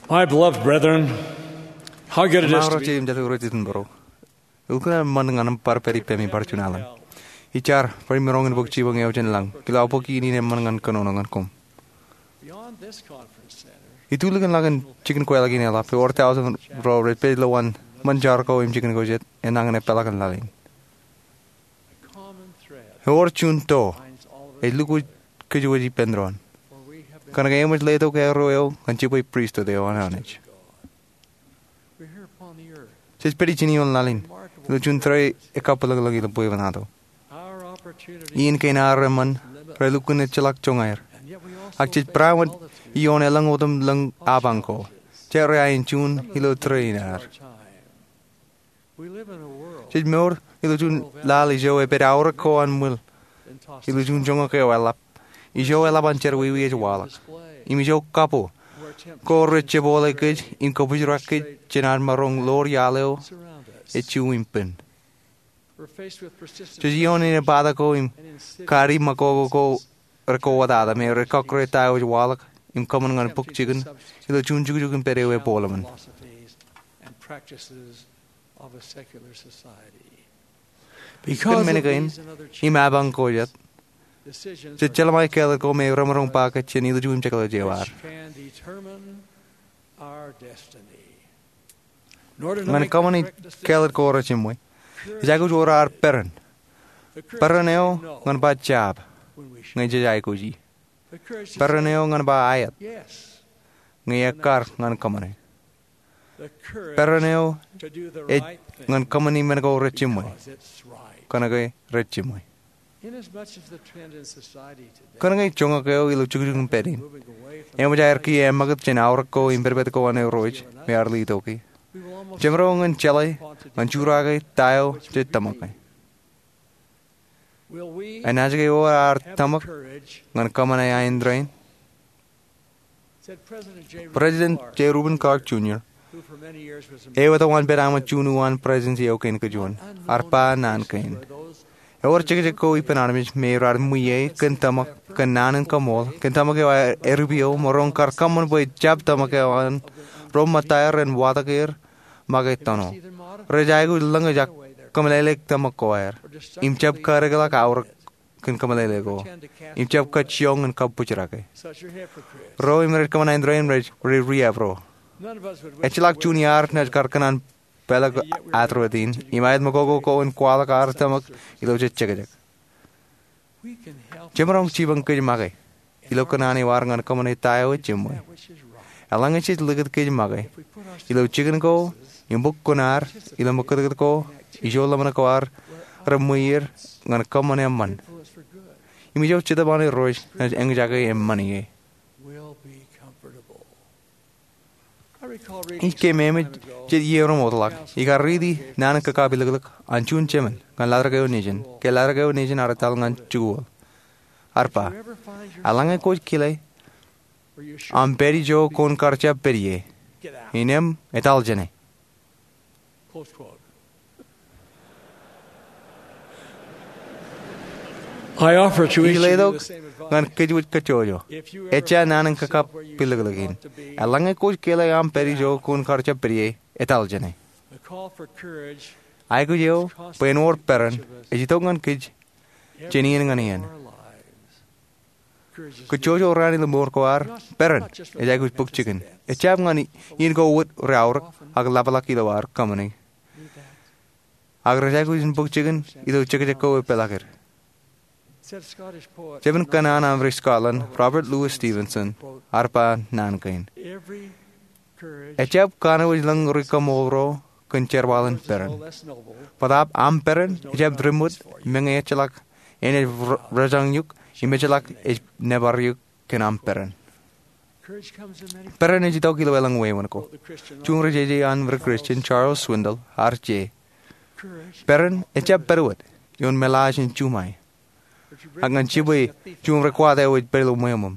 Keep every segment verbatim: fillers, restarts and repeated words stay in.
My beloved brethren, how good it is to be. Im jar, bar juon alen. Ij lukkuun ḷọk in jikin kweilọk in eḷap, ewōr tọujin ro rej pād ilo an ṃōn jar ko im jikin ko jet, enañin epeḷḷọk in laḷ in. Ewōr juon to ej lukkuun kōjwōj ippān doon. Kōnke eṃōj letok arro eo ñan jibwe pristut eo an Anij. Jej pād ijin ioon laḷ in ilo juon tōre ekappilōñlōñ ilo bwebwenato. Iien kein ad reṃṃan relukkuun ejjeḷọk joñaer. Ak jej peran wōt ioon elōñ otemlōñ apañ ko, jet reain juon ilo tōre in ad. Jej mour ilo juon laḷ ijo epād aorōk ko an ṃwil ilo juon joñak eo eḷap, ijo eḷap an jerọwiwi ej waḷọk, im ijo kabbokbok ko rej jepọle kōj im kōbwijrak kōj jān ad maroñ ḷoor iaḷ eo ej juon im pen. Jej ioon inepata ko im kadi ṃakoko ko rekwoḷọk me rej kọkkure ta eo ej waḷọk im kōṃṃan ñan bōk jikin ilo juon jukjuk im pād eo epooḷ eṃṃan. Kōn men kein im apañ ko jet, jej jeḷā ṃae kāālōt ko me remaroñ ba kōj jān ilju im jekḷaj eo ad. Ñan kōṃṃani kāālōt ko rejiṃwe, ej aikuj wōr ad peran. Peran eo ñan ba jab ñe jej aikuji. Peran eo ñan ba aet ñe ekkar ñan kōṃṃane. Peran eo ej ñan kōṃṃani men ko rejiṃwe kōnke rejiṃwe. Kōnke joñak eo ilo jukjuk in pād in eṃōj aer kiiō eṃṃakūt jān aorōk ko im pedped ko an Irooj me ear letok e, jemaroñ in jeḷā ñan jurake ta eo jej tōmak e. Enaaj ke ewōr ad tōmak ñan kōṃṃane ain rein? President J. Reuben Clark Junior, eo etal an pād aṃ juon uwaan presidency eo kein kōjuon, ear ba naan kein: Ewōr jekjek ko ippān armej me raar ṃwiie kōn tōmak, kōn naan in kaṃool, kōn tōmak eo aer ippeḷḷọk, maroñ kar kōṃṃan bwe jab tōmak eo an ro ṃōttaer ren watōk er make tōno. Rej aikuj lōñōj ak kōmeḷeḷeik tōmak ko aer, im jab kadeḷọk aorōk kōn kōmeḷeḷe ko, im jab kajjioñ in kabbōjrak e. Ro im rej kōṃṃan ain rein rej riab ro. Ejjeḷọk juon iaad naaj kar kōṇaan pālōk atorot in im aet ṃakoko ko in kwaḷọk ad tōmak ilo jej jekjek. Jemaroñ jipañ kōj make ilo kōṇaan eo ad ñan kōṃṃane ta eo ejiṃwe. Eḷaññe jej likūt kōj make ilo jikin ko im bōk kuṇaad ilo ṃōkūtkūt ko, ijo ḷōmṇak ko ad reṃwiier ñan kōṃṃan eṃṃan. Im ijo Jetōb an Irooj naaj eñjake eṃṃan ie. Ij keememej jet iiō ro ṃootḷọk ikar riiti naan in kakapilōklōk an juon jemān ñan latrōk eo nejin ke latrōk eo nejin ear etal ñan jikuuḷ. Ear ba, eḷaññe kwōj kile aṃ pād ijo kwōn kar jab pād ie, innem etal jāne. Ij letok ñan kōjwōj kajjojo, ejja naan in kakapilōklōk in, eḷaññe kwōj kile aṃ pād ijo kwōn kar jab pād ie, etal jāne. Aikuj eo bwe en wōr peran ej itok ñan kōj jān iien ñan iien. Kajjojo raan ilo mour ko ad, peran ej aikuj bōk jikin. Ejjab ñan iien ko wōt reaorōk ak ḷapḷọk ilo ad kōṃṃani, ak rej aikuj in bōk jikin ilo jekjek ko epeḷḷọk er. Jemān kōṇaan an ri Scotland, Robert Louis Stevenson, ear ba naan kein: Ejjab kanooj ḷọk ri kaṃool ro kōn jerbal in peran. Bōtaab aṃ peran ejjab rimwōt meñe ejjeḷọk enaaj rejañ eok im ejjeḷọk ej nōbar eok kōn aṃ peran. Peran ej itok ilo elōñ wāween ko. Juon ri jeje an ri Christian, Charles Swindoll, ear je: Peran ejjab pād wōt ioon meḷaaj in juṃae, ak ñan jibwe juon ri kwaat eo ej pād ilo ṃweo ṃōṃ.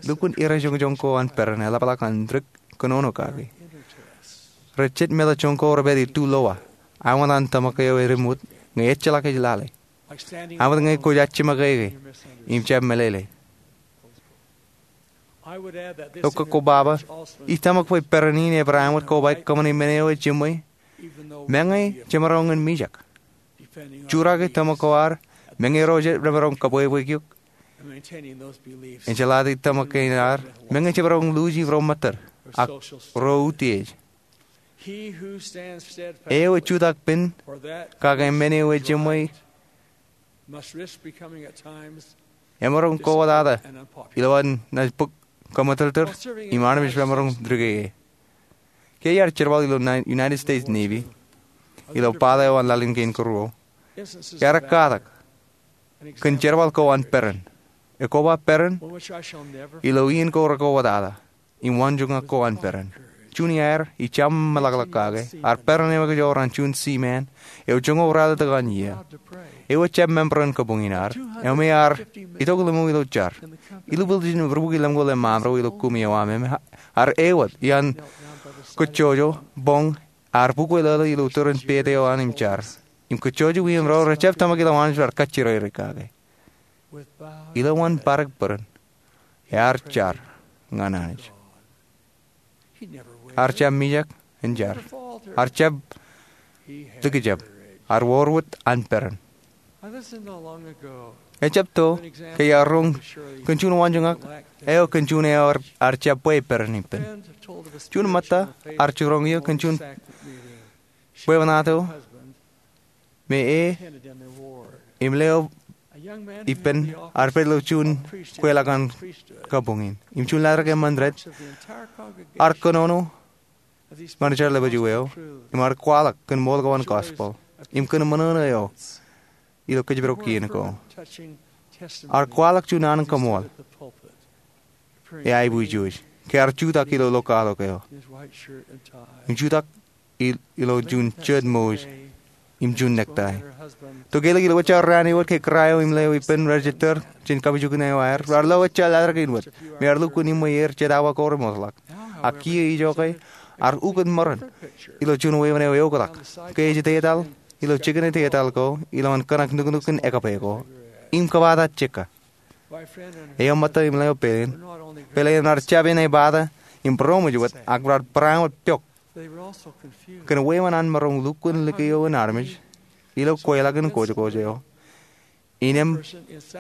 Lukkuun irejoñjoñ ko an peran eḷapḷọk an dik kōnono kaki. Rej jet meḷeḷe joñak ko repād itulowa, āinwōt an tōmak eo erimwōt ñe ejjeḷọk ej lale, āinwōt ñe kwōj ajjiṃwe ke im jab meḷeḷe. Eokwe, koba ba, ij tōmak bwe peran in ebar āinwōt kobaik kōṃṃane men eo ejiṃwe, meñe jemaroñ in mijak. Jurake tōmak ko ad, meñe ro jemaroñ kōbwebweik eok. Ejeḷā tōmak kein ad, meñe jemaroñ luuji ro ṃōttad, ak ro utiej. Eo ej jutak pen, kake men eo ejiṃwe, emaroñ kowōtata ilowaan naaj bōk kōṃōtōrtōr, im armej remaroñ dikeke. Ke iar jerbal ilo United States Navy, ilo bōtaab eo an laḷ in kein kōruo, iar katak kōn jerbal ko an peran. Ekoba peran, ilo iien ko rekowōtata im waanjoñak ko an peran. Juon iaer ij jaṃṃōḷọklọk kake, ear peran eo ekajoor an juon seaman eo joñoul ralitōk an iiō. Eo ejjab member in kabuñ in ad, eo me ear itok ḷimuk ilo jar. Ilubwiljin rubuki lemñoul eṃṃaanḷọk ilo kumi eo aṃ, im ear ewōr iaan kōjjojo boñ, ear bukwe ḷōḷō ilo tōre in pād eo an im jar. Im kōjjojo iien ro rejjab tōmak ilo Anij, bar kajjirere kake. Ilowaan padik peran, ear jar ñan Anij. Ear jab mijak in jar. Ear jab likjab. Ear wōr wōt an peran. Ejjab to ke iar roñ kōn juon waanjoñak eo kōn juon eo ear jab bwe peran ippān. Juon ṃōtta ear jiroñ eō kōn juon bwebwenato me e im leo ippān ear pād ilo juon kweilọk an kabuñ in. Im juon ḷaddik eṃṃan rej, ear kōnono ñan jar lepād eo, im ear kwaḷọk kōn ṃool ko an gospel, im kōn ṃōṇōṇō eo ilo kōjparok iien ko. Ear kwaḷọk juon an kaṃool eaiboojoj ke ear jutak ilo ḷokaḷook eo im jutak ilo juon jijet ṃooj im juon necktie. To kelōk ilo jar raan eo wōt ke kōrā eo im leo ippān rej ettōr jān kapijuknen eo aer, raar lo jar ḷaddik in wōt me ear lukkuun iṃwe er jet awa ko remootḷọk. Ak kiiō ijoke, ear ukōt ṃōran ilo juon weeṃṃan eo eoktak ke ej detal ilo jikin detal ko ilowaan kōṇak nuknuk in ekōpe ko im kōbaata jekka. Eo ṃōtta im leo peiḷen, peiḷen raar jab āne bōtaab im būroṃōj wōt, ak raar bareinwōt pok kōn weeṃṃan an maroñ lukkuun likio in armej ilo kweilọk in kōjkōj eo. Innām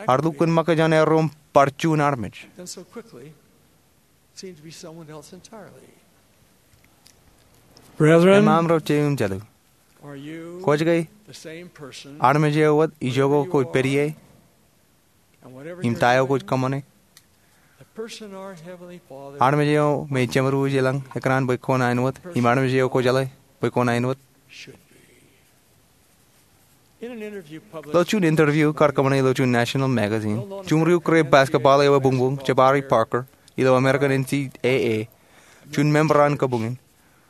ear lukkuun ṃōkaj an erom bar juon armej. Brethren, eṃṃaan ro jeiū im jatū, kwōj ke armej eo wōt ijoko kwōj pād ie im ta eo kwōj kōṃṃane? Armej eo me Jemātuwōj ilañ ekōṇaan bwe kwōn ain wōt, im armej eo kwōjeḷā bwe kwōn ain wōt? Ilo juon interview kar kōṃṃane ilo juon national magazine, jumri eo kōrā basketball eo ebuñbuñ, Jabari Parker, ilo American N C A A, juon member an kabuñ in,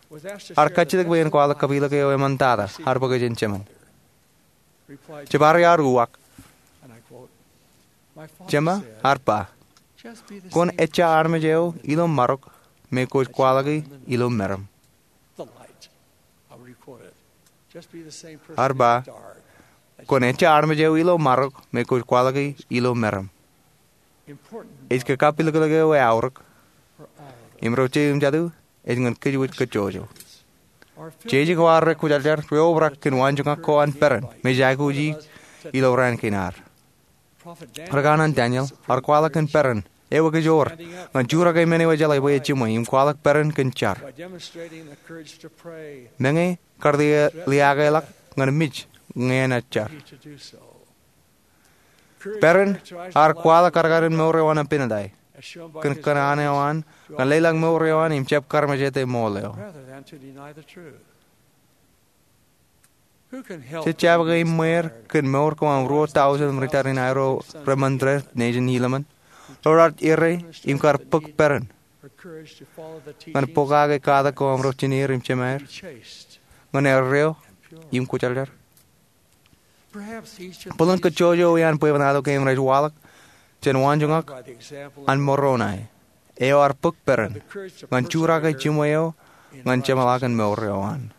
ear kajjitōk bwe en kwaḷọk kapilōk eo eṃṃantata ear bōk jān jemān. Jabari ear uwaak. Jema ear ba, kwōn ejja armej eo ilo marok me kwōj kwaḷọki ilo meram. Ear ba, kwōn ejja armej eo ilo marok me kwōj kwaḷọki ilo meram. Ej ke kapilōklōk eo eaorōk im ro jeiū im jatū, ej ñan kōj wōj kōjjojo. Jeje ko an rej kwōjarjar reobrak kōn waanjoñak ko an peran me jej aikuji ilo raan kein ad. Rikanaan Daniel ear kwaḷọk kōn peran eo ekajoor ñan jurake men eo ejeḷā bwe ejiṃwe im kwaḷọk peran kōn jar. Meñe kar liaakḷọk ñan mej ñe enaaj jar. Peran ear kwaḷọk kadkadin mour eo an Abinadi kōn kōṇaan eo an ñan leḷọk mour eo an im jab karmejete ṃool eo. Jet jab ke iṃweer kōn mour ko an ruo tọujin ritōl in aerro reṃṃan rej nejin Helaman ro raar errā im kar bōk peran ñan pokake katak ko an ro jineer im jemaer ñan erreo im kwōjarjar? Bōlen kōjjojo ean bwebwenato kein rej waḷọk jān waanjoñak an Moroni eo ear bōk peran ñan jurake jiṃwe eo ñan jeṃḷọkin mour eo an.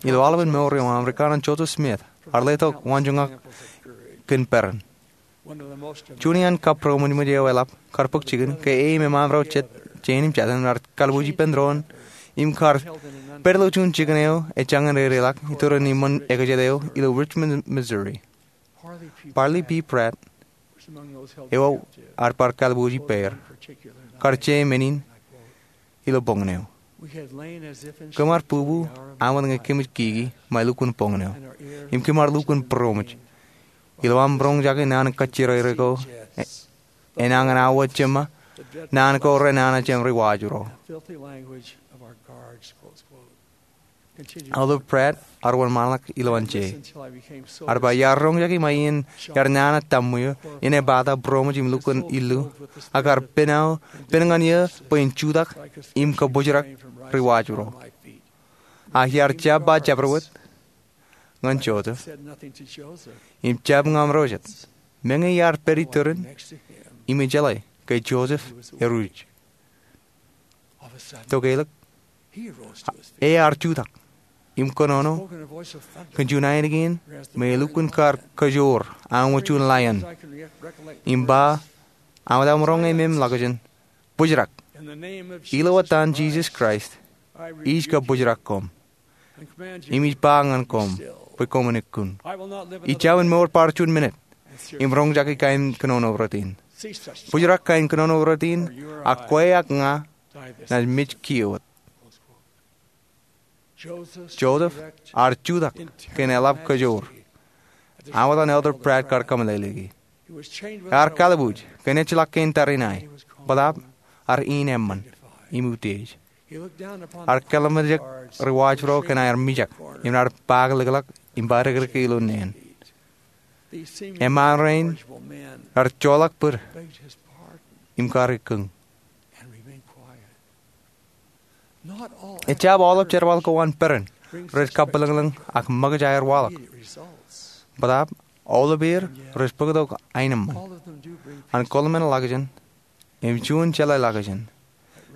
Ilo aolepān mour eo an, rikanaan Joseph Smith ear letok waanjoñak kōn peran. Juon iaan kab būroṃōjṃōj eo eḷap kar bōk jikin ke e im emaroñ jet jān im jatū ren kar kalbuuj ippān doon im kar pād ilo juon jikin eo ej jañin dedeḷọk iturin iṃōn ekajet eo ilo Richmond, Missouri. Parley P. Pratt, eo ear bar kalbuuj ippāer, kar je men in ilo boñōn eo: Kōm ar bubu aṃōt ñe kōmij kiki ṃae lukkuun boñōn eo, im kōm ar lukkuun būroṃōj ilo aṃ roñjake naan kajjirere ko enañin awa jeṃa naan ko renana jān ri-waaj ro. Elder Pratt ear wōnṃaanḷọk ilowaan je: Ear ba iar roñjake ṃae iien ear nana taṃwiō, inepata, būroṃōj im lukkuun illu, ak ear pen ñan eō bwe in jutak im kabōjrak ri-waaj ro. Ak iar jab ba jabdewōt ñan Joseph im jab ñan ro jet, meñe iar pād iturin, im ijeḷā ke Joseph eruj. Tokālik, ear jutak im kōnono kōn juon ainikien me elukkuun kar kajoor aṃ wōt juon laion, im ba, aṃ wōt aṃ roñ emem ḷọkjeṇ, bōjrak. Ilo etan Jisōs Kraist, ij kabōjrak koṃ, im ij ba ñan koṃ bwe koṃwin ikkun. Ij jab mour bar juon minit im roñjake kain kōnono rot in. Bōjrak kain kōnono rot in, ak kwe ak ña naaj mej kiiō wōt. Joseph ear jutak kōn eḷap kajoor aṃ wōt an Elder Pratt kar kōmeḷeḷeiki. Ear kalbuuj kōn ejjeḷọk kein tariṇae, bōtaab ear in eṃṃan im utiej. Ear kōḷmānḷọkjeṇ ri-waaj ro kōn aer mijak im raar paakḷọkḷọk im badikdik ilo neen. Eṃṃaan rein raar joḷọk bōd im kar ikkōñ. Ejjab aolep jerbal ko an peran rej kabwilōñlōñ ak ṃōkaj aer waḷọk. Bōtaab aolepeir rej bōktok aenōṃṃan an kōḷmānḷọkjeṇ im juon jeḷāḷọkjeṇ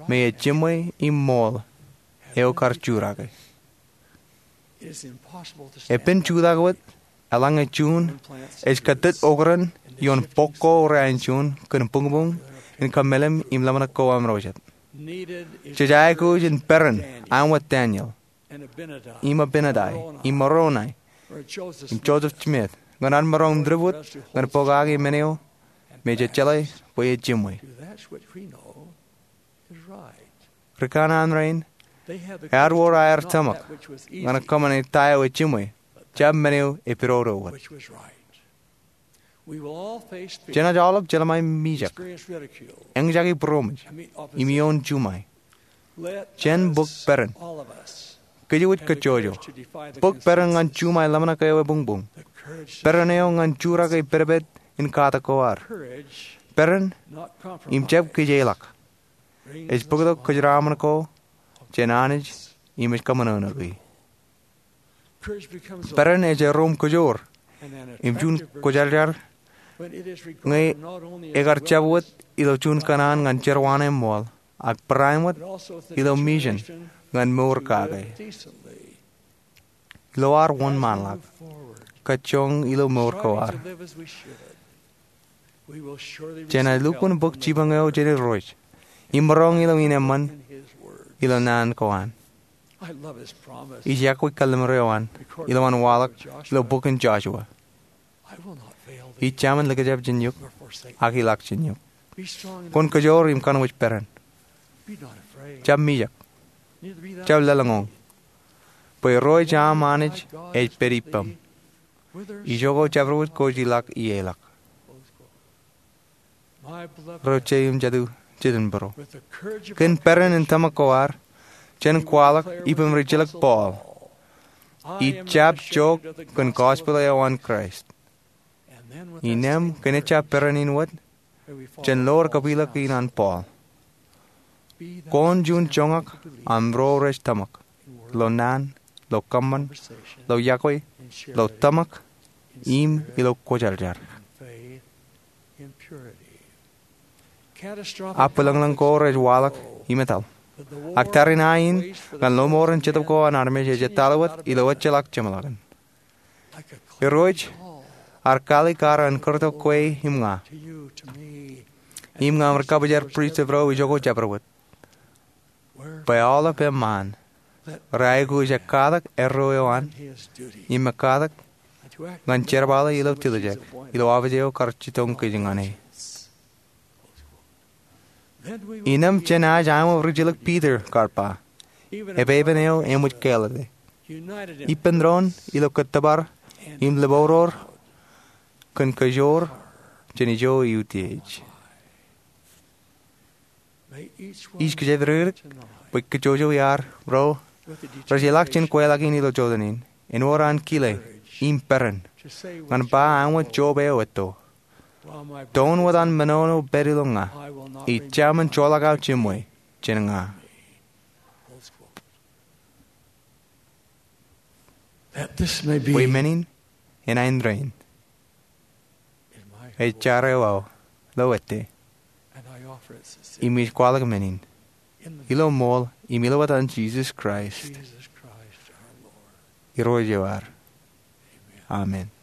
me ej jiṃwe im ṃool eo kar jurake. Epen jutak wōt eḷaññe juon ej kōtōt okran ioon bok ko reain juon kōn buñbuñ in kōmālim im ḷōmṇak ko aṃ ro jet. Jej aikuj in peran aṃ wōt Daniel, im Abinadi, im Moroni, im Joseph Smith ñan ad maroñ in dipwūt ñan pokake men eo me jej jeḷā bwe ej jiṃwe. Ri kanaan rein ewōr aer tōmak ñan kōṃṃane ta eo ej jiṃwe, jab men eo epidodo wōt. Jenaaj aolep jeḷā ṃae mijak, eñjake būroṃōj, im ioon juṃae. Jen bōk peran. Kōjwōj kajjojo. Bōk peran ñan juṃae ḷōmṇak eo ebuñbuñ. Peran eo ñan jurake pedped in katak ko ad. Peran im jab kijeḷọk ej bōktok kōjeraaṃṃan ko jān Anij im ej kōṃōṇōṇō e. Peran ej erom kajoor im juon kwōjarjar ñe ekar jab wōt ilo juon kōṇaan ñan jerwaan eṃṃool, ak barāinwōt ilo mission ñan mour kake. Ilo ad wōnṃaanḷọk kajjoñ ilo mour ko ad, jenaaj lukkuun bōk jipañ eo jān Irooj im maroñ ilo ineṃṃan ilo naan ko an. Ij iọkwe kallim̧ur eo an ilowaan waḷọk ilo bok in Joshua: Ij jaṃin likjab jān eok ak ilọk jān eok. Kwōn kajoor im kōnwōj peran. Jab mijak, jab lōḷñọñ, bwe Irooj aṃ Anij ej pād ippaṃ ijoko jabdewōt kwōj ilọk ie ḷọk. Ro jeiū im jatū jet in būro, kōn peran in tōmak ko ad, jen kwaḷọk ippān ri-jilōk Paul: Ij jab jook kōn gospel eo an Kraist. Innām kōn ejjab peran in wōt, jen lor kapilōk in an Paul: Kwōn juon joñak aṃ ro rej tōmak, ilo naan, ilo kōṃṃan, ilo iọkwe, ilo tōmak, im ilo kwōjarjar. Aō bwilōñlōñ ko rej waḷọk im etal, ak tariṇae in ñan lọmọọren Jetōb ko an armej ej etal wōt ilo ejjeḷọk jeṃḷọkin. Irooj Ar kalikkar an kūrtok kwe im ña, im ñan ri kabwijer pristut ro ijoko jabdewōt, bwe aolep eṃṃaan rej aikuj ekkatak erro eo an im ekkatak ñan jerbale ilo tiljek ilo aṃ eo kar jitōñ kōj ñan e. Innām jen aikuj aṃ ri jilōk Piter kar ba, epepen eo eṃōj kāālōte, ippān doon ilo kōttōpar im lōbodor kōn kōjoor jān ijo eutiej. Ij kōjatdikdik bwe kōjwōjwōj iar ro rej ilọk jān kweilọk in ilo jota in āinwōt an kile im peran ñan ba aṃ job eo etto, doon wōt an menono pād ilo ña, ij jab men joḷọk aō jiṃwe jān ña. Bwe men in en ain rein, ej jar eo aō ilo ettā, im ij kwaḷọk men in ilo ṃool im ilo etan Jisōs Kraist, Irooj eo ad. Amen.